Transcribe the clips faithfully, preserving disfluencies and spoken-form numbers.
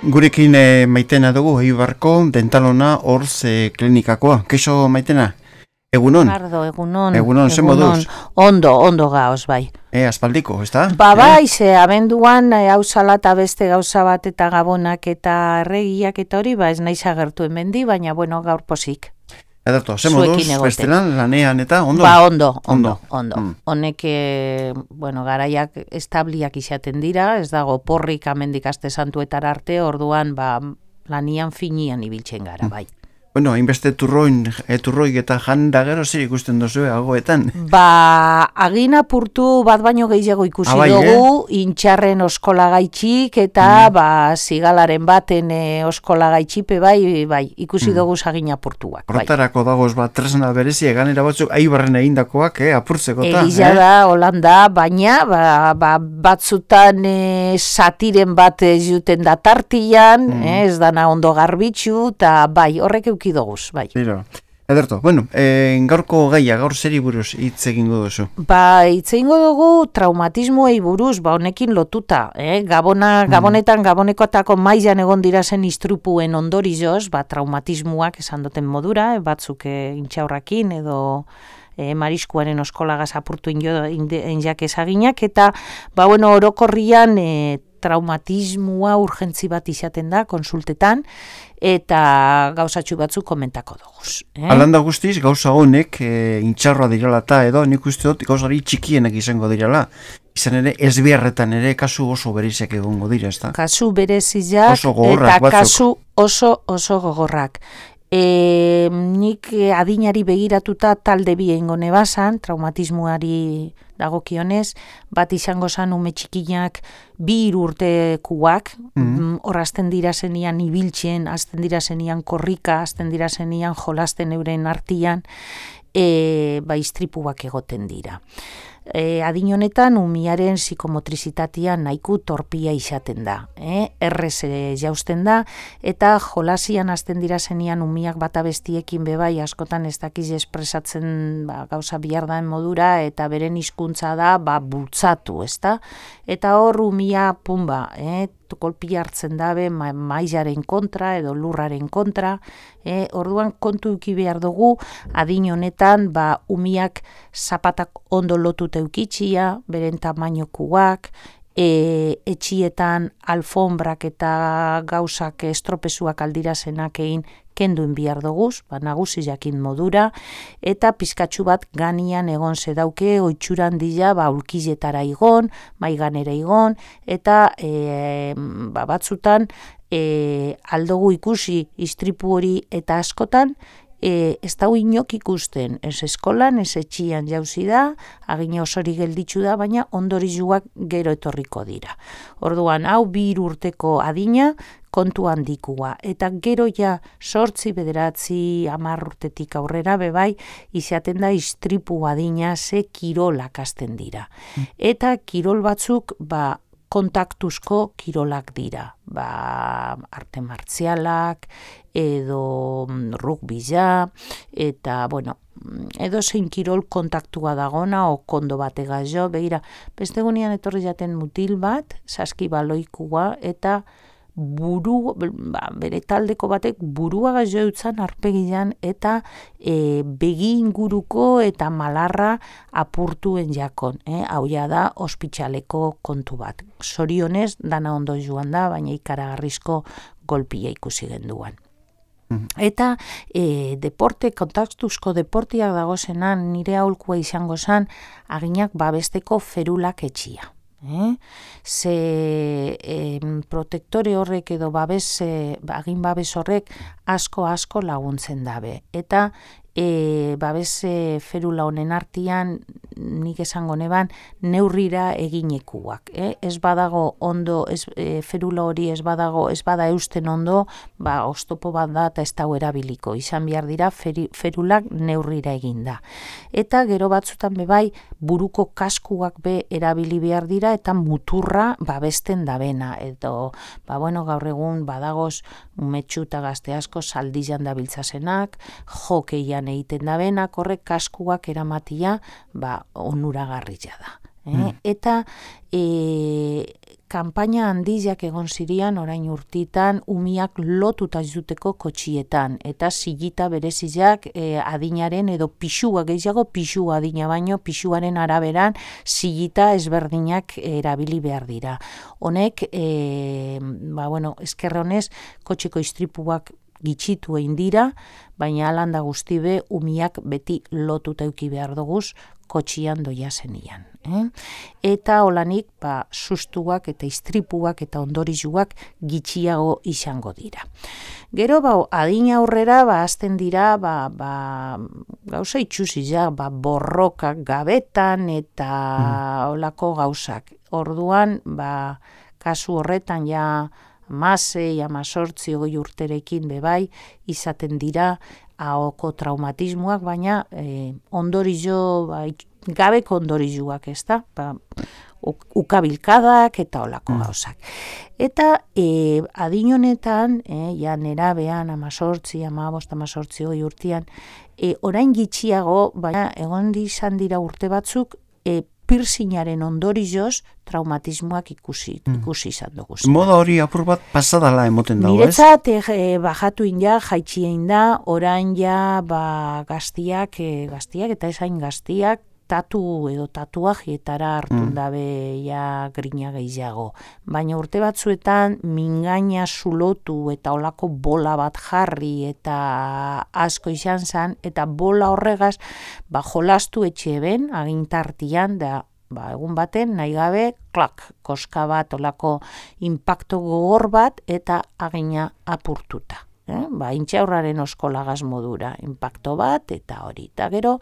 Gurekin e, maitena dugu, Eibarko dentalona Orz e, klinikakoa. Keixo maitena? Egunon? Ardo, egunon. Egunon, zen moduz? Ondo, ondo gaoz, bai. E, aspaldiko, ez da? Ba, bai, ze, abenduan, hau salata beste gauza bat eta gabonak eta erregiak eta hori, ba, ez naiz agertu hemendi, baina, bueno, gaur posik. Edato, zen moduz, bestelan, lanean eta ondo? Ba, ondo, ondo, ondo. Mm. Honek, e, bueno, garaiak establiak izaten dira, ez dago porrik amendik aste santuetara arte, orduan, ba, lanian finian ibiltzen gara, bai. Bueno, hainbeste turroin, e, turroik eta jan da gero zer ikusten duzue agoetan? Ba, agin apurtu bat baino gehiago ikusi Abai, dugu, eh? Intxarren oskolagaitxik eta mm. ba, zigalaren baten e, oskolagaitxipe bai, bai, ikusi mm. dugu agin apurtuak. Hortarako bai. Dagoz bat tresna berezi eganera batzuk Eibarren egindakoak, eh, apurtzeko eta. Egia da, eh? Holanda, baina ba, ba, batzutan e, satiren bat ez juten da tartian, mm. eh, ez dana ondo garbitzu, eta bai, horrek euki doguz, bai. Zero. Ederto, bueno, e, gaurko gaia, gaur zeri buruz hitz egingo duzu? Ba, hitz egingo dugu traumatismoei buruz, ba, honekin lotuta, eh? Gabona, gabonetan, gabonekotako mailan egon dira zen istripuen ondorioz, ba, traumatismoak esan duten modura, eh? Batzuk eh, intxaurrakin edo e, mariskuaren oskolagaz apurtu injak ezaginak, eta, ba, bueno, orokorrian e, traumatismoa urgentzi bat izaten da, konsultetan, eta gauzatxu batzuk komentako dugu. Eh? Alanda guztiz, gauza honek e, intxarroa dirala eta edo, nik uste dut gauzari txikienek izango dirala. Izan ere, ezbiarretan ere kasu oso bereziak egongo dira, ez da? Kasu bereziak oso gogorrak, eta batzuk. Kasu oso oso gogorrak. E, nik adinari begiratuta talde bi egingo nebazan, traumatismoari dagokionez, bat izango zan ume txikinak bi hiru urtekuak, mm-hmm. hor azten dira zenian ibiltzen, azten dira zenian korrika, azten dira zenian jolasten euren artian, e, ba istripuak egoten dira. E, adin honetan umiaren psikomotrizitatea nahiko torpia izaten da, eh? errez e, jausten da, eta jolasian azten dira zenian umiak bata bestiekin bebai askotan ez dakiz espresatzen ba, gauza bihardaen modura, eta beren hizkuntza da ba, bultzatu, ezta? Eta hor umia pumba, eh? kolpia hartzen dabe ma, maizaren kontra edo lurraren kontra, eh? Orduan kontu uki behar dugu, adin honetan ba, umiak zapatak ondo lotut eukitxia, beren tamainokuak, e, etxietan alfombrak eta gauzak estropezuak aldirazenak egin kenduen bihar doguz, ba, nagusi jakin modura, eta pizkatxu bat ganian egon zedauke, oitxuran dira, ba, ulkizetara igon, maiganera igon, eta e, ba, batzutan e, aldogu ikusi istripu hori eta askotan, E, ez dau inok ikusten, ez eskolan, ez etxian jauzi da, agina osori gelditzu da, baina ondorizuak gero etorriko dira. Orduan, hau bi hiru urteko adina, kontu handikua, eta gero ja sortzi, bederatzi, hamar urtetik aurrera bebai, izaten da istripu adina ze kirolak hasten dira. Eta kirol batzuk, ba, kontaktuzko kirolak dira, ba, arte martzialak, edo rugbia, eta, bueno, edo zein kirol kontaktua dagona, o kondo batega jo, begira, beste gunean etorri jaten mutil bat, saskibaloikua, eta buru, ba, bere taldeko batek burua gazo eutzan arpegian eta e, begi inguruko eta malarra apurtuen jakon. Eh? Hau ja da ospitxaleko kontu bat. Zorionez, dana ondo joan da, baina ikaragarrizko golpia ikusi genduan. Eta e, deporte, kontaktuzko deportiak dagozenan, nire aholkua izango zen, aginak babesteko ferulak etxia. Eh? Ze eh, protektore horrek edo babes, eh, agin babes horrek asko-asko laguntzen dabe. Eta e, babes e, ferula honen artian, nik esango neban, neurrira eginekuak. Eh? Ez badago ondo, ez, e, ferula hori ez badago, ez bada eusten ondo, ba, oztopo bat da eta ez dago erabiliko. Izan behar dira feri, ferulak neurrira eginda. Eta gero batzutan bebai, buruko kaskuak be erabili behar dira, eta muturra babesten dabena. Edo, ba, bueno, gaur egun badagoz umetxu eta gazte asko saldizan dabiltzasenak, jokeian egiten dabenak, horrek kaskuak eramatia, ba, onuragarria da. Eh? Mm. Eta e, kanpaina handiak egon zirian orain urtitan umiak lotuta zuteko kotxietan eta zigita berezizak e, adinaren edo pixua gehiago pixua adina baino pixuaren araberan zigita ezberdinak erabili behar dira. Honek e, ba, bueno, eskerra honez kotxeko istripuak gitxitu egin dira, baina alanda guztibe umiak beti lotuta euki behar duguz kotxian doia zenian. Eh? Eta holanik ba, sustuak eta istripuak eta ondorizuak gitxiago izango dira. Gero ba, adina aurrera ba, azten dira ba, ba, gauza itxuzia, ba, borrokak gabetan eta mm. olako gauzak. Orduan, ba, kasu horretan ja amasei, amazortzi, hogei urterekin bebai izaten dira ahoko traumatismoak, baina eh, ondorizo, ba, gabeko ondorizuak, ez da? Ba, ukabilkadak eta olako mm. gauzak. Eta e, adin honetan, e, ja nerabean, amazortzi, amabost, amazortzi, hogei urtean, e, orain gitxiago, baina egon izan dira urte batzuk, e, piercingaren ondorizoz traumatismoak ikusi, mm. ikusi izan dugu. Moda hori apur bat pasadala emoten dago, ez? Niretzat e, bajatu inda, jaitxien da, orain ja ba, gaztiak, e, gaztiak eta esain gaztiak, tatu edo tatuajietara hartun mm. dabe ja grina gehiago. Baina urte batzuetan mingaina zulotu eta olako bola bat jarri eta asko izan zen, eta bola horregaz ba, jolastu etxe ben, agintartian, da ba, egun baten nahi gabe, klak, koska bat, olako impacto gogor bat eta agina apurtuta. Eh? Ba, intxaurraren oskolagaz modura, impacto bat, eta hori. Eta gero,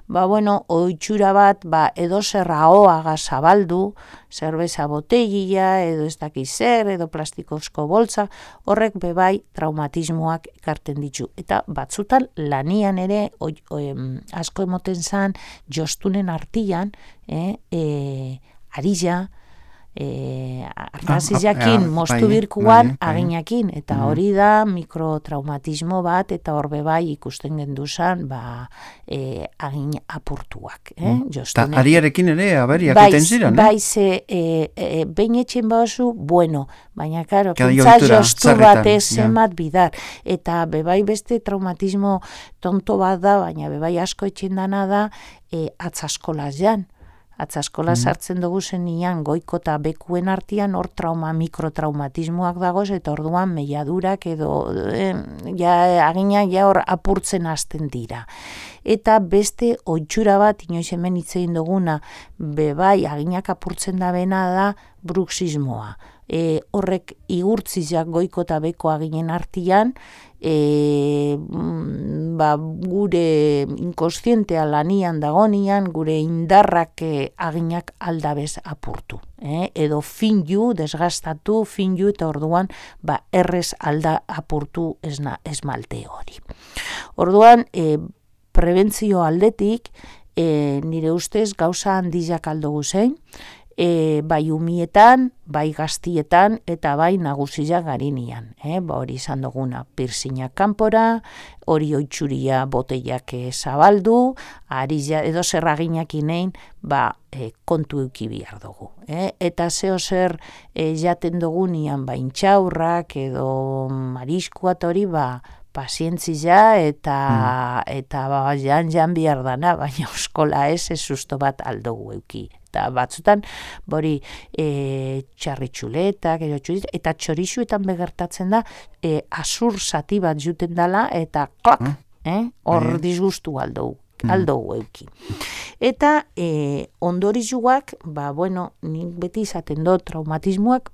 ba, bueno, oitxura bat, ba, edo zerra ahoaga zabaldu, zerbeza botegia, edo ez dakiz zer, edo plastikozko boltza, horrek bebai traumatismoak ekarten ditu. Eta batzutan lanian ere, oi, oi, asko emoten zan, jostunen artian, eh, eh, arilla, E, arrazizakin, ah, ah, mostu birkuan aginakin, eta mm. hori da mikrotraumatismo bat, eta horbe bai ikusten genduzan ba, e, agin apurtuak. Eh? Mm. Ta ariarekin ere aberiak eten ziren, eh? Bai, ze e, e, behin etxen bauzu, bueno, baina karo, pentsa jostu bat ezemat ja. Bidar, eta bebai beste traumatismo tonto bat da, baina bebai asko etxen dana da, e, atzaskola jan. Atzaskola mm. sartzen dugu zenian goiko eta bekuen artian hor trauma, mikrotraumatismoak dagoz, eta orduan meiadurak edo eh, ja, agina ja hor apurtzen hasten dira. Eta beste oitxura bat, inoiz hemen hitzein duguna, bebai aginak apurtzen da bena da bruxismoa. E, horrek igurtzizak goiko eta beko aginen artian, e, ba, gure inkostientea lanian dagonian, gure indarrak e, aginak aldabez apurtu. E, edo finju, desgastatu, finju, eta orduan ba, errez alda apurtu esna, esmalte hori. Orduan, e, prebentzio aldetik, e, nire ustez gauza handizak aldo guzein, E, bai umietan, bai gaztietan, eta bai nagusia garinian. Eh? Ba, hori izan duguna, piercingak kanpora, hori oitxuria boteiak zabaldu, ari edo zerraginak inein, ba, e, kontu euki bihar dugu. Eh? Eta zeo zer e, jaten dugunian, ba, intxaurrak edo mariskuat hori, ba, pazientzia eta mm. eta ba, jan jan bihar dana, baina euskola ez, ez susto bat aldugu euki. Eta batzutan, bori e, txarritxuletak, eta txorixuetan begertatzen da, e, azur zati bat juten dela, eta klak, mm. eh? hor mm. disgustu aldugu. aldugu euki. Eta e, ondorizuak, ba, bueno, nik beti izaten do traumatismoak,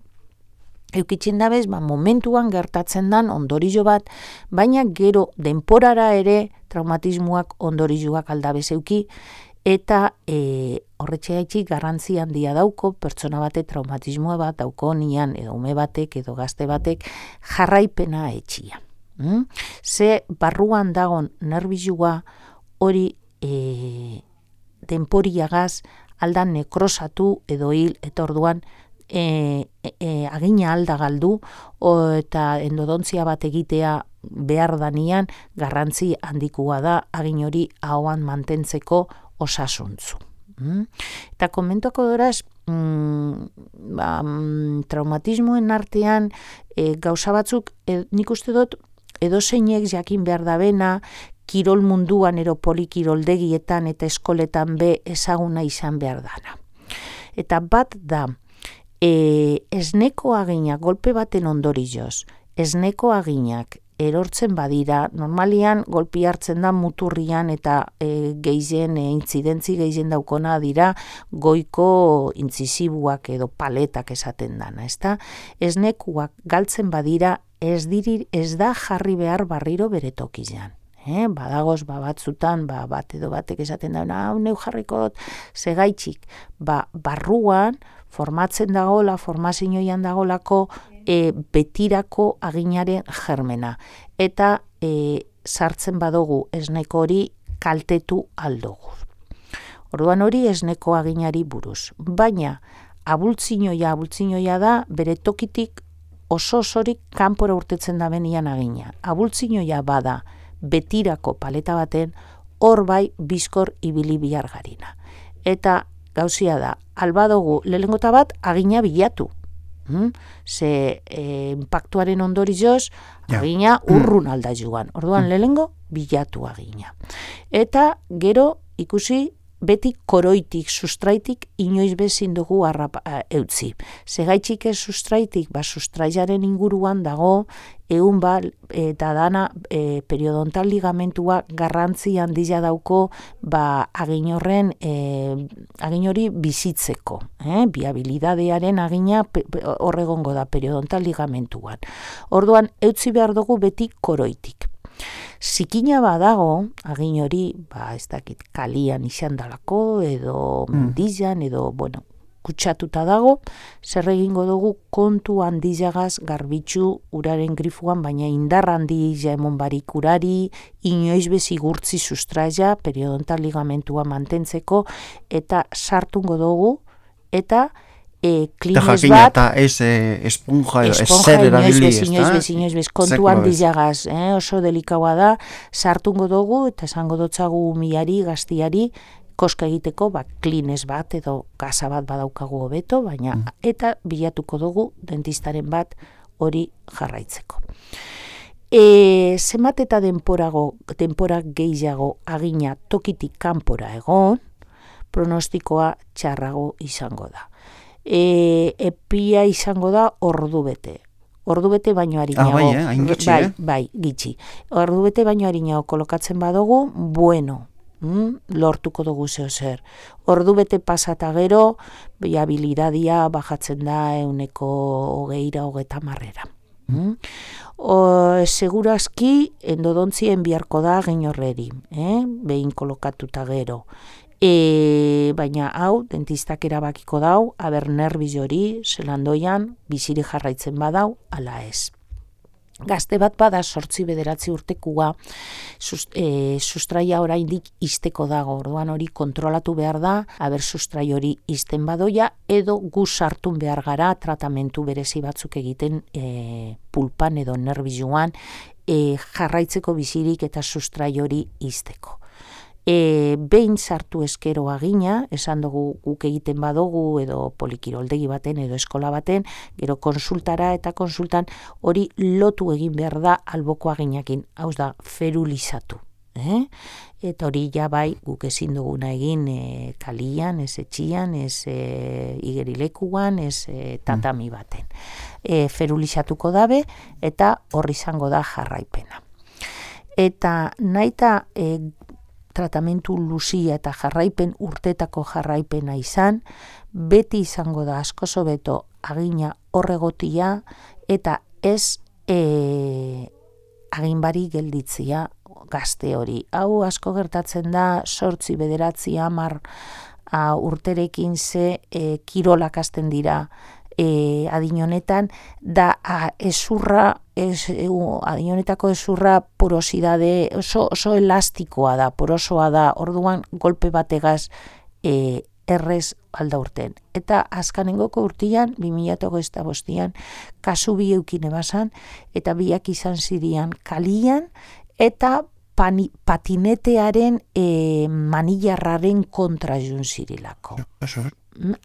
eukitzen dabez, ba, momentuan gertatzen dan ondorizo bat, baina gero denporara ere traumatismoak ondorizuak aldabez euki, eta e, horretxe haitxik garrantzi handia dauko, pertsona bate traumatismoa bat dauko nian, edo ume batek, edo gazte batek, jarraipena etxia. Mm? Ze barruan dagon nerbizua hori e, denporiagaz aldan nekrosatu edo hil, eta orduan E, e, agina alda galdu o, eta endodontzia bat egitea behar danian garrantzi handikua da agin hori ahoan mantentzeko osasuntzu. Mm? Eta komentuako doraz, mm, ba, mm, traumatismoen artean e, gauza batzuk, e, nik uste dut, edozeinek jakin behar da bena, kirol munduan ero polikiroldegietan eta eskoletan be ezaguna izan behar dana. Eta bat da, e, esneko agina, golpe baten ondorioz, esneko aginak erortzen badira, normalian golpi hartzen da muturrian eta e, gehien, e, intzidentzi gehien daukona dira goiko intzisibuak edo paletak esaten dana, ezta? Esnekuak galtzen badira ez, diri, ez da jarri behar barriro bere tokian. Eh, badagoz, ba, batzutan, ba, bat edo batek esaten da, hau neu jarrikot, segaitxik, ba, barruan, formatzen dagola, formazioian dagolako, e, betirako aginaren germena. Eta e, sartzen badugu esneko hori kaltetu aldugu. Orduan hori esneko aginari buruz. Baina, abultzinoia, abultzinoia da, bere tokitik oso osorik kanpora urtetzen da benian agina. Abultzinoia bada, betirako paleta baten, hor bai bizkor ibili bihar garina. Eta gauzia da, albadogu lelengota bat agina bilatu. Hmm? Ze e, impactuaren ondorioz ja. Agina urrun alda joan. Orduan lehengo bilatu agina. Eta gero ikusi beti koroitik, sustraitik, inoiz bezin dugu arrap, eutzi. Segaitxik ez sustraitik, ba sustraiaren inguruan dago, egun ba, eta dana e, periodontal ligamentua garrantzi handia dauko, ba agin horren, e, agin hori bizitzeko. Eh? Biabilidadearen agina horregongo da periodontal ligamentuan. Orduan, eutzi behar dugu beti koroitik. Zikina badago, agin hori, ba, ez dakit, kalian izan dalako, edo mendizan, edo, bueno, kutsatuta dago, zer egingo dugu kontu handizagaz garbitzu uraren grifuan, baina indar handia emon barik urari, inoiz bezigurtzi sustraia, periodontal ligamentua mantentzeko, eta sartungo dugu, eta E, klines bat, eta ez e, esponja, ez zer erabili, ez da? Inoiz bez, inoiz bez, kontu handizagaz, eh? Oso delikaua da, sartungo dugu, eta esango dotzagu miari, gaztiari, koska egiteko, ba, klines bat, edo gaza bat badaukagu hobeto, baina, mm. eta bilatuko dugu dentistaren bat hori jarraitzeko. E, zenbat eta denporago, denpora gehiago agina tokitik kanpora egon, pronostikoa txarrago izango da. E, epia izango da ordu bete. Ordu bete baino harinago. Ah, bai, eh? Hain gitxi, bai, eh? bai, gitxi. Ordu bete baino harinago kolokatzen badugu, bueno, mm, lortuko dugu zeo zer. Ordu bete pasata gero, biabilidadia bajatzen da euneko hogeira, hogeta marrera. Mm? O, segurazki endodontzien biharko da ginorreri, eh? Behin kolokatuta gero. E, baina hau, dentistak erabakiko dau, aber nerbiz hori, zelandoian, biziri jarraitzen badau, ala ez. Gazte bat bada sortzi bederatzi urtekua, sust, e, sustraia oraindik izteko dago, orduan hori kontrolatu behar da, aber sustrai hori izten badoia, edo gu sartun behar gara, tratamentu berezi batzuk egiten e, pulpan edo nerbizuan, e, jarraitzeko bizirik eta sustrai hori izteko. E, behin sartu eskero agina, esan dugu guk egiten badugu edo polikiroldegi baten edo eskola baten, gero konsultara eta konsultan hori lotu egin behar da alboko aginakin, hauz da, ferulizatu. Eh? Eta hori ja bai guk ezin duguna egin e, kalian, ez etxian, ez e, igerilekuan, ez e, tatami baten. E, ferulizatuko dabe eta horri izango da jarraipena. Eta naita e, tratamentu luzia eta jarraipen urtetako jarraipena izan, beti izango da asko hobeto agina horregotia eta ez e, aginbari gelditzia gazte hori. Hau asko gertatzen da sortzi bederatzi hamar urterekin ze e, kirolak hasten dira e, adin honetan, da a, ezurra, ez, e, adin honetako ezurra porosidade, oso, oso elastikoa da, porosoa da, orduan golpe bategaz e, errez alda urten. Eta azkanengoko urtean, bi mila hogeita bostean, kasu bi eukine basan, eta biak izan zirian kalian, eta pani, patinetearen e, manillarraren kontra jun zirilako.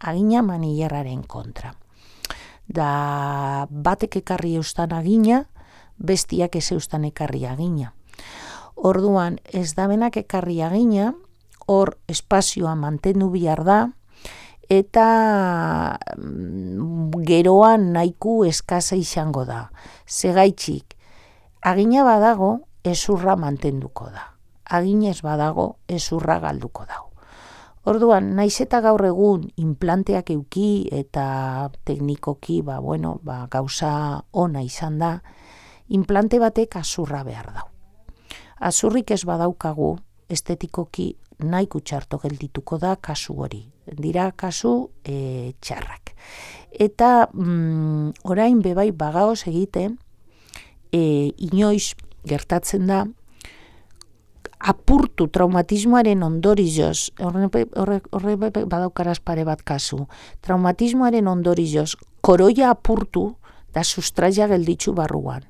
Agina manillarraren kontra. Da batek ekarri eustan agina, bestiak ez eustan ekarri agina. Orduan ez da benak ekarri agina, hor espazioa mantendu bihar da, eta geroan nahiko eskasa izango da. Segaitxik, agina badago, ezurra mantenduko da. Aginez badago, ezurra galduko dago. Orduan, naiz eta gaur egun implanteak euki eta teknikoki, ba, bueno, ba, gauza ona izan da, implante batek azurra behar dau. Azurrik ez badaukagu, estetikoki nahiko txarto geldituko da kasu hori. Dira kasu e, txarrak. Eta mm, orain bebai bagaoz egiten, e, inoiz gertatzen da, apurtu traumatismoaren ondorioz, horre, horre, horre badaukaraz pare bat kasu, traumatismoaren ondorioz, koroia apurtu da sustraia gelditzu barruan.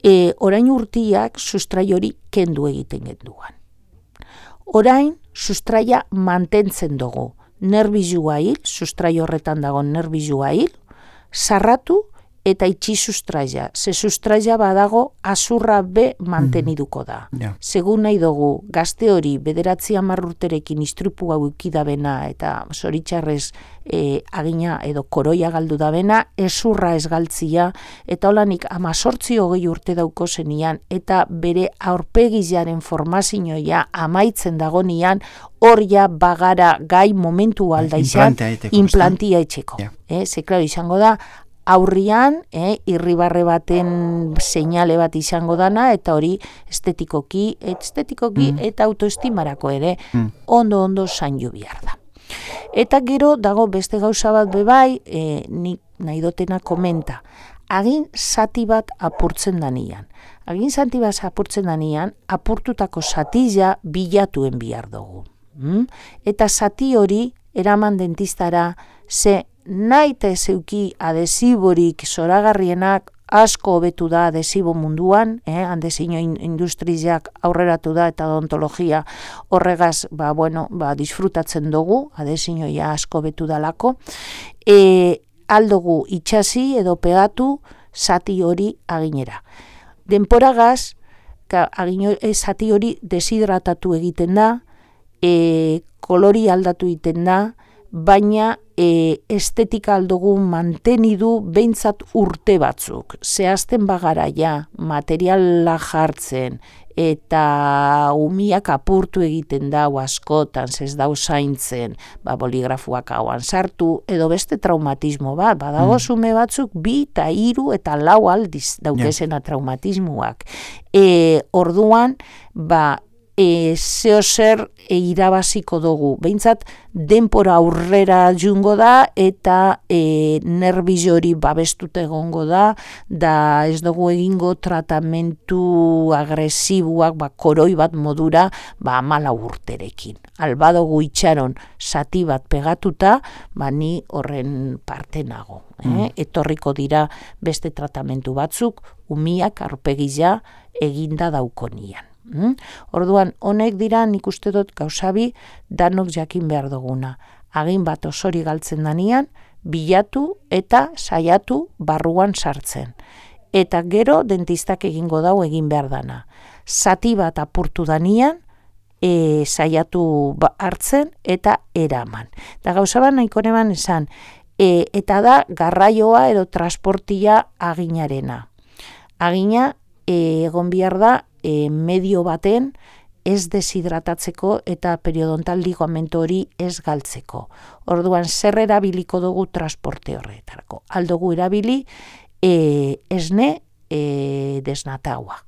E, orain urtiak sustrai hori kendu egiten genduan. Orain sustraia mantentzen dugu. Nerbizua hil, sustrai horretan dago nerbizua hil, sarratu eta itxi sustraia. Ze sustraia badago azurra be manteniduko da. Mm. Yeah. Segun nahi dugu, gazte hori bederatzi hamar urterekin istripu hau ikidabena eta zoritxarrez e, agina edo koroia galdu dabena, ezurra ez galtzia, eta holanik amazortzi hogei urte dauko zenian, eta bere aurpegizaren formazioa amaitzen dagonian, hor ja bagara gai momentu alda izan, implantia etxeko. Yeah. Eh, ze, klaro, izango da, aurrian, eh, irribarre baten seinale bat izango dana, eta hori estetikoki, estetikoki mm. eta autoestimarako ere, mm. ondo-ondo zaindu bihar da. Eta gero, dago beste gauza bat bebai, eh, nik nahi dotena komenta, agin zati bat apurtzen danian. Agin zati bat apurtzen danian, apurtutako zatila bilatuen bihar dugu. Mm? Eta zati hori, eraman dentistara, ze nahi eta ezeuki adesiborik zoragarrienak asko hobetu da adesibo munduan, eh? Handezino industriak aurreratu da eta odontologia horregaz ba, bueno, ba, disfrutatzen dugu, adesinoia asko hobetu dalako, e, aldugu itxasi edo pegatu zati hori aginera. Denporagaz, zati hori deshidratatu egiten da, e, kolori aldatu egiten da, baina e, estetika aldugu mantenidu behintzat urte batzuk. Zehazten bagara ja, materiala jartzen eta umiak apurtu egiten dau askotan, zez dau zaintzen, ba, boligrafuak hauan sartu, edo beste traumatismo bat, badago zume batzuk bi eta hiru eta lau aldiz daukezena traumatismoak. E, orduan, ba, E, zeo zer e, irabaziko dugu. Behintzat, denpora aurrera jungo da eta e, nerbizo hori babestute egongo da, da ez dugu egingo tratamentu agresibuak, ba, koroi bat modura, ba, amala urterekin. Alba dugu itxaron zati bat pegatuta, ba, ni horren parte nago. Eh? Mm. Etorriko dira beste tratamentu batzuk, umiak arpegila eginda daukonian. Hmm? Orduan, honek dira nik uste dut gauzabi danok jakin behar duguna. Agin bat osori galtzen danian, bilatu eta saiatu barruan sartzen. Eta gero dentistak egingo dau egin behar dana. Zati bat apurtu danian, e, saiatu hartzen eta eraman. Eta gauzaban nahiko neban esan, e, eta da garraioa edo transportia aginarena. Agina e, egon behar da, E, medio baten ez deshidratatzeko eta periodontal ligamentu hori ez galtzeko. Orduan, zer erabiliko dugu transporte horretarako. Aldugu erabili e, esne e, desnataua.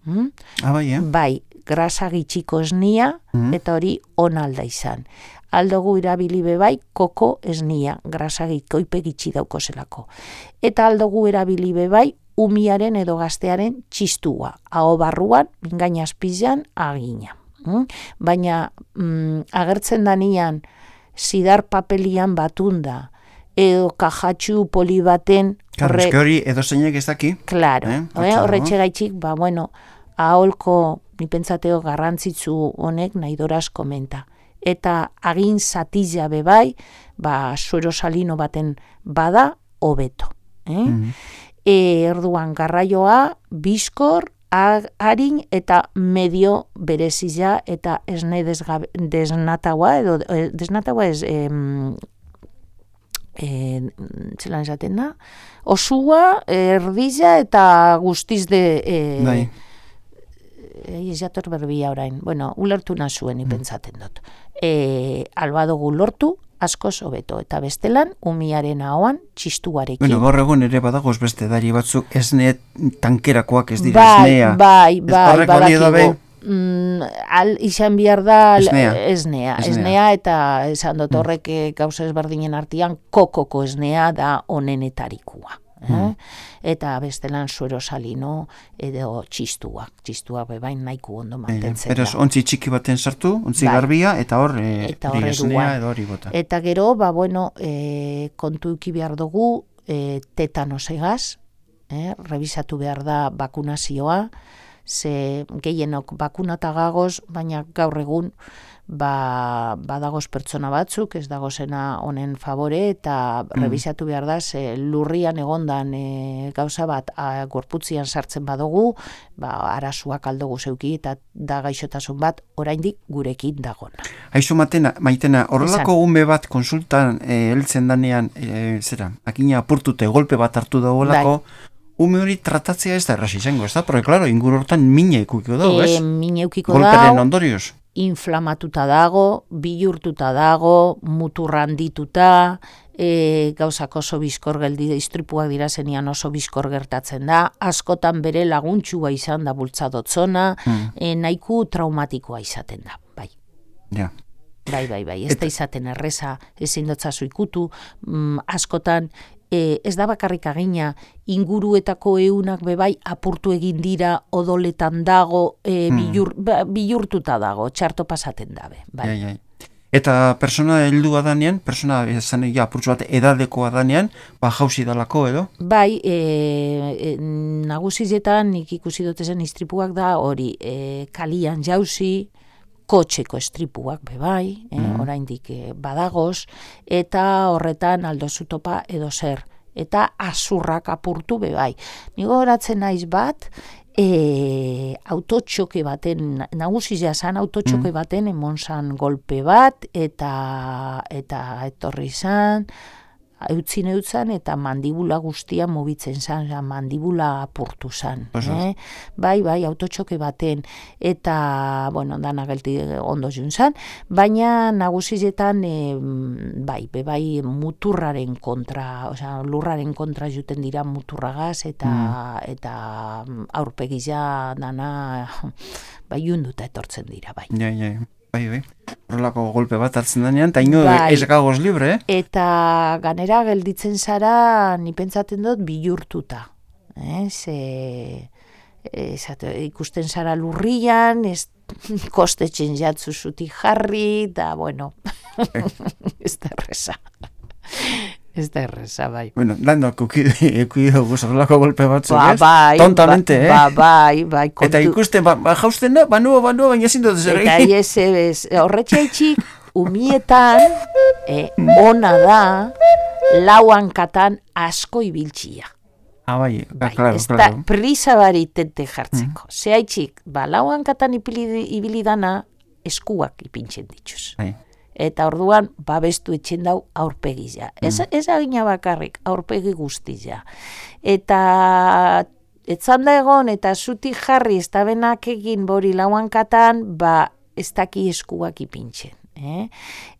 Hmm? Ah, bai, eh? Bai, grasa gitxiko esnia mm. eta hori onalda izan. Aldugu erabili bebai koko esnia, grasa gitkoipe gitxi dauko zelako. Eta aldugu erabili bebai umiaren edo gaztearen txistua, aho barruan, mingaina azpizan, agina. Mm? Baina mm, agertzen danian, zidar papelian batunda, edo kajatxu poli baten... Claro, hori edo zeinek ez daki. Claro, eh? horretxe gaitxik, ba, bueno, aholko ni pentsateo garrantzitsu honek naidoraz komenta. Eta agin zatila bebai, ba, suero salino baten bada, hobeto. Eh? Mm-hmm. E, erduan garraioa, bizkor, harin eta medio berezia eta esne desnataua, edo desnataua ez, em, e, zelan esaten da, osua, erdila eta guztiz de... E, bai. Ez jator berbia orain, bueno, ulertu nazuen ipentzaten dut. E, albadogu lortu, askoz hobeto, eta bestelan, umiaren ahoan, txistuarekin. Bueno, gaur egun ere badagoz beste dari batzuk, esne tankerakoak ez dira, bai, esnea. Bai, bai, bai, badakigu. Mm, al, izan behar da esnea. Esnea, esnea, esnea eta esan dut horrek mm. gauza ezberdinen artean, kokoko esnea da onenetarikua. Eh? Mm. Eta bestelan suero salino edo txistuak, txistuak bebain nahiko ondo mantentzen da. Beraz, ontzi txiki baten sartu, ontzi bai. Garbia, eta hor e, esnea edo hori bota. Eta gero, ba, bueno, e, kontu uki behar dugu e, tetanos egaz, eh? Revisatu behar da bakunazioa, ze gehienok bakunata gagoz, baina gaur egun ba, badagoz pertsona batzuk, ez dagozena honen favore, eta mm. revisatu behar da, ze lurrian egondan e, gauza bat a, gorputzian sartzen badugu, ba, arasuak aldogu zeuki, eta da gaixotasun bat oraindik gurekin dagona. Haizu matena, maitena, horrelako ume bat konsultan e, heltzen danean, e, zera, akina apurtute, golpe bat hartu dagoelako, bai. Ume hori tratatzea ez da errasi izango, ez da? Porque, claro, inguru hortan mina eukiko dago, ez? E, mina eukiko dago. Golperen ondorioz. Inflamatuta dago, bilurtuta dago, muturrandituta, e, gauzak oso bizkor geldi, istripuak dira zenian oso bizkor gertatzen da, askotan bere laguntxua izan da bultzadotzona, hmm. e, nahiko traumatikoa izaten da, bai. Ja. Bai, bai, bai, ez da izaten erreza, ezin dotzazu ikutu, mm, askotan, E, ez da bakarrik agina, inguruetako eunak bebai apurtu egin dira, odoletan dago, e, hmm. bilur, ba, bilurtuta dago, txarto pasaten dabe. Bai. Ja, ja. Eta persona heldua danean, persona esan ja, apurtzu bat edadekoa danean, ba jauzi dalako edo? Bai, e, e, nagusizetan nik ikusi dotezen istripuak da, hori e, kalian jauzi, kotxeko estripuak bebai, eh, mm. oraindik eh, badagoz, eta horretan aldozu topa edo zer, eta azurrak apurtu bebai. Nigo horatzen naiz bat, e, autotxoke baten, nagusizia zan autotxoke mm. baten emon zan golpe bat, eta, eta etorri zan, eutzin eutzan eta mandibula guztia mugitzen zan, mandibula apurtu zan. Eh? Bai, bai, autotxoke baten, eta, bueno, dana gelti ondo jun zan, baina nagusizetan, e, bai, bai, muturraren kontra, osea, lurraren kontra juten dira muturragaz, eta, mm. eta aurpegia dana, bai, junduta etortzen dira, bai. Ja, ja, bai, bai. Horrelako golpe bat hartzen denean, eta ino bai. Ez gagoz libre, eh? Eta ganera gelditzen zara, ni pentsaten dut, bilurtuta. Eh? Ze, esate, ikusten zara lurrian, ez kostetzen jatzu zuti jarri, eta, bueno, ez da erreza. Ez da erreza, bai. Bueno, dandoak ekuido guzorlako golpe batzuk, ba, ez? Bai, tontamente, ba, eh? Ba, bai, bai. Kontu... Eta ikusten, ba, ba jausten da, ba nuo, ba nuo, baina zindot zer egin. Eta ez, ez, horretxaitxik, umietan, eh, ona da, lauan katan asko ibiltxia. Ah, bai, bai, klaro, ez klaro. Da prisa baritente jartzeko. Mm. Zehaitxik, ba, lauan katan ibilidana eskuak ipintzen dituz. Bai. Eta orduan, babestu etxen dau aurpegizia. Mm. Ez, ez agina bakarrik, aurpegi guztizia. Eta etzan da egon, eta zuti jarri, ez da benak egin bori lauan katan, ba, ez daki eskuak ipintzen. Eh?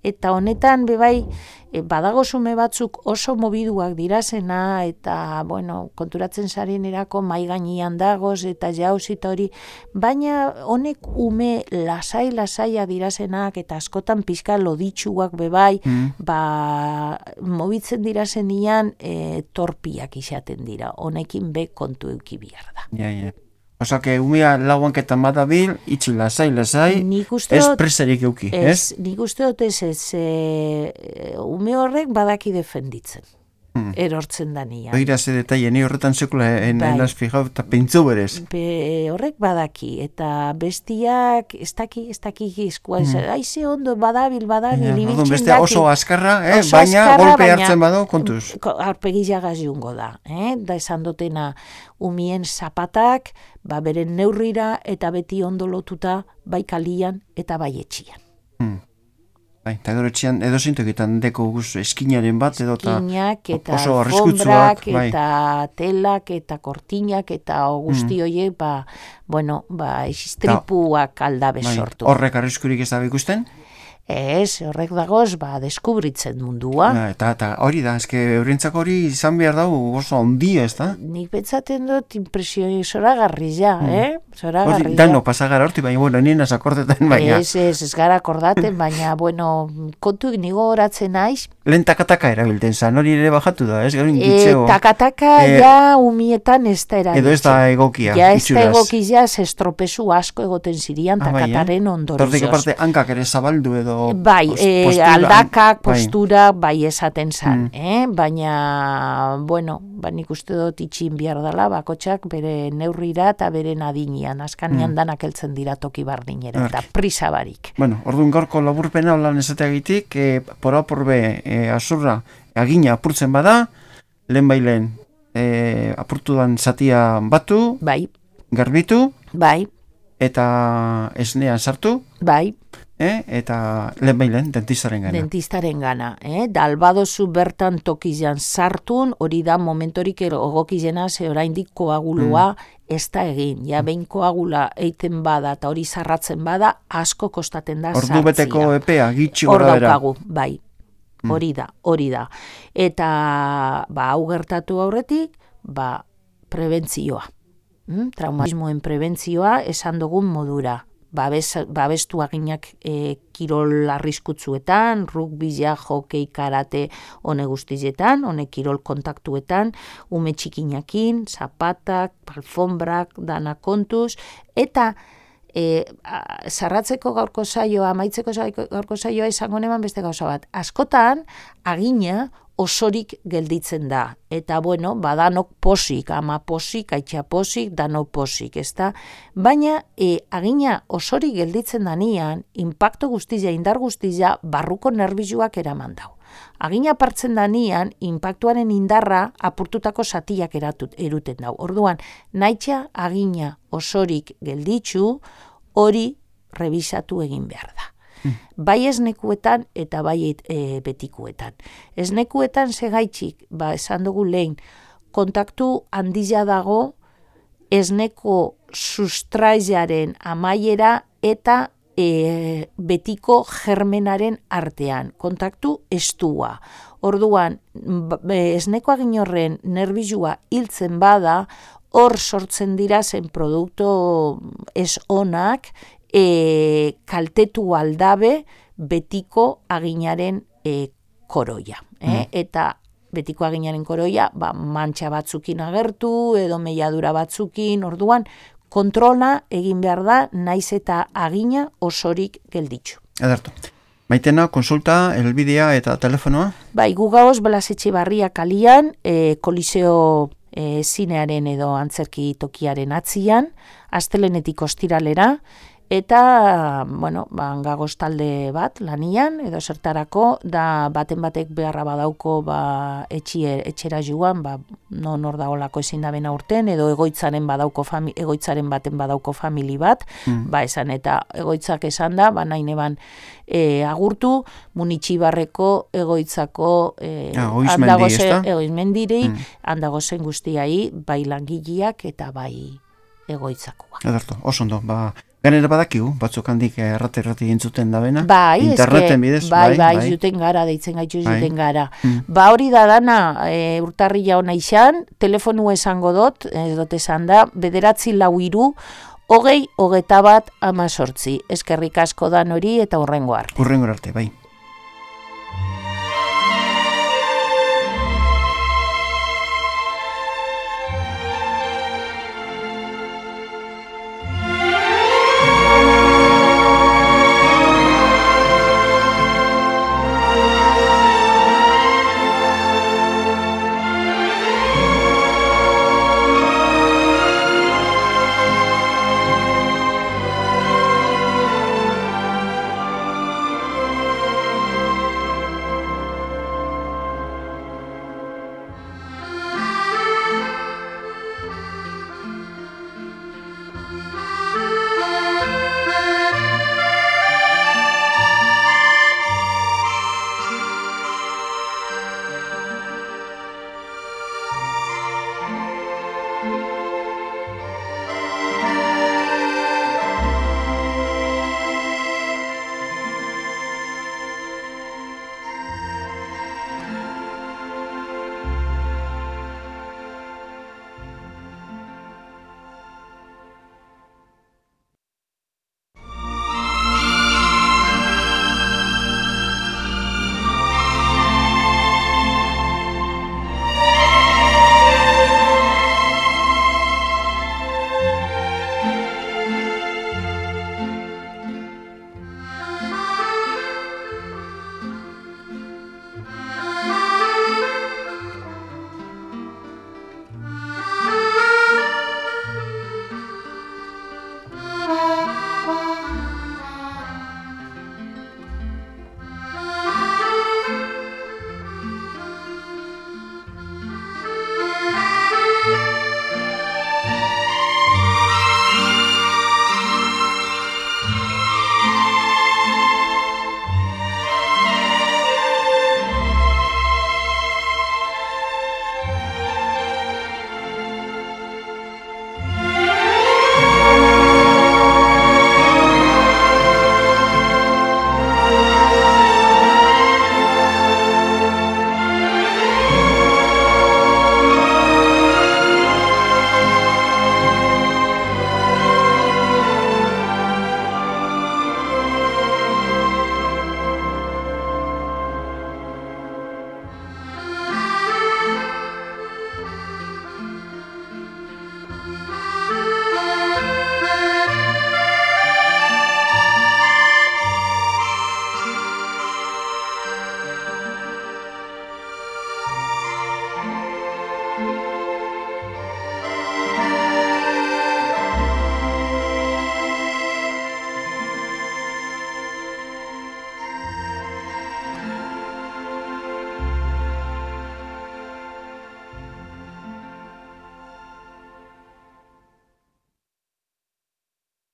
Eta honetan, bebai, e, badagozume batzuk oso mobiduak dirazena, eta, bueno, konturatzen zaren erako maigainian dagoz, eta jauzit hori, baina honek ume lasai-lasaia dirazenak, eta askotan pizka loditsuak bebai, mm. ba, mobitzen dirazenian e, torpiak izaten dira, honekin be kontu euki bihar da. Ja, ja. Osa, que umea lauanketan badabil, itxi lasai, lasai, ez presarik euki, ez? Ez, nik uste dut ez, ez, e, ume horrek badaki defenditzen. Hmm. erortzen danian. Begira ze detaile, ni horretan sekula enaz fijau eta pentsu berez. Be, horrek badaki, eta bestiak, ez daki, ez daki gizkoa, hmm. aize ondo, badabil, badabil, ja, ibiltzen bestea daki. oso askarra, eh? Oso baina askarra, golpe baina, hartzen bado, kontuz. Aurpegi jagaz jungo da, eh? Da esan dutena umien zapatak, ba beren neurrira eta beti ondo lotuta bai kalian eta bai etxian. Hmm. Bai, eta gero etxian edo zintoketan deko guz eskinaren bat edo eta oso arriskutsuak, bai. Eta telak eta kortinak eta guzti hmm. horiek, ba, bueno, ba, istripuak aldabe bai. sortu. Horrek arriskurik ez da ikusten? Ez, horrek dagoz, ba, deskubritzen mundua. Ja, eta, eta hori da, eske eurentzako hori izan behar dago oso ondia, ez da? Nik pentsaten dut impresio zoragarri ja, mm. eh? Zoragarri ja. Dano, pasagara horti, baina, bueno, nien akordetan, baina. Ez, ez, ez gara akordaten, baina, bueno, kontuik nigo horatzen naiz. Lehen takataka erabilten zan, hori ere bajatu da, ez? Gero ingitzeo. E, takataka e, ja umietan ez da erabiltzen. Edo ez da egokia, ja ez da egokia, estropezu asko egoten zirian takataren ah, bai, ondorioz. Tortik aparte, hankak ere zabaldu edo... Bai, postura, e, aldakak, postura, bai, bai esaten zan, mm. eh? Baina, bueno, ba, nik uste dut itxin behar dela, bakotxak bere neurrira eta bere nadinian, askanian mm. danak heltzen dira toki bardinera, eta prisa barik. Bueno, orduan gaurko laburpena holan esateagitik, e, pora porbe e, azurra agina apurtzen bada, lehen bailen e, apurtudan zatia batu, bai. garbitu, bai. eta esnean sartu, bai. Eh? Eta lehen bailen, dentistaren gana. Dentistaren gana. Eh? Da albadozu bertan tokizan sartun, hori da momentorik egokizena, ze oraindik koagulua mm. ez da egin. Ja, behin koagula eiten bada eta hori zarratzen bada, asko kostaten da sartzia. Ordu beteko epea, gitxi gora bera. Hor daukagu, bai. Hori da, hori da. Eta, ba, hau gertatu aurretik, ba, prebentzioa. Mm? Traumatismoen prebentzioa esan dugun modura. Babes, babestu aginak e, kirol arriskutzuetan, rugbia, hokei, karate, hone guztietan, hone kirol kontaktuetan, ume txikinakin, zapatak, alfombrak, dana kontuz, eta e, a, zarratzeko gaurko saioa, amaitzeko gaurko saioa izango neman beste gauza bat. Askotan, agina osorik gelditzen da. Eta, bueno, badanok posik, ama posik, aitxa posik, danok posik, ezta? Baina, e, agina osorik gelditzen danian, inpakto guztia, indar guztia, barruko nerbizuak eraman dau. Agina partzen danian, inpaktuaren indarra apurtutako zatiak eratut, eruten dau. Orduan, naitxa agina osorik gelditzu, hori revisatu egin behar da. Bai esnekuetan eta bai e, betikuetan. Esnekuetan segaitxik, ba, esan dugu lehen, kontaktu handia dago esneko sustraizaren amaiera eta e, betiko germenaren artean. Kontaktu estua. Orduan, esneko agin horren nerbizua hiltzen bada, hor sortzen dira zen produktu ez onak, E, kaltetu aldabe betiko aginaren e, koroia. Eh? Mm. Eta betiko aginaren koroia, ba, mantxa batzukin agertu, edo meiadura batzukin, orduan, kontrola egin behar da, naiz eta agina osorik gelditzu. Edertu. Maitena, konsulta, elbidea eta telefonoa? Bai, gugaoz, Blas Etxebarria kalian, e, koliseo e, zinearen edo antzerki tokiaren atzian, astelenetik ostiralera, eta, bueno, ba, gagoz talde bat lanian, edo zertarako, da baten batek beharra badauko ba, etxie, etxera joan, ba, non hor daolako ezin da bena urten, edo egoitzaren badauko fami, egoitzaren baten badauko famili bat, mm. ba esan, eta egoitzak esan da, ba nahi neban e, agurtu, Munitxibarreko egoitzako e, ah, handagozen, egoizmendiri, mm. handagozen guztiai, bai langileak eta bai egoitzakoa. Edarto, oso ondo, ba... Ganera badakigu, batzuk handik errate-errate entzuten da bena. Bai, interneten bidez, bai, bai, bai, juten gara, deitzen gaitu bai. juten gara. Mm. Ba hori da dana, e, urtarrila hona izan, telefonu esango dut, ez dut esan da, bederatzi lau iru, hogei, hogeta bat, ama sortzi. Eskerrik asko dan hori eta hurrengo arte. Hurrengo arte, bai.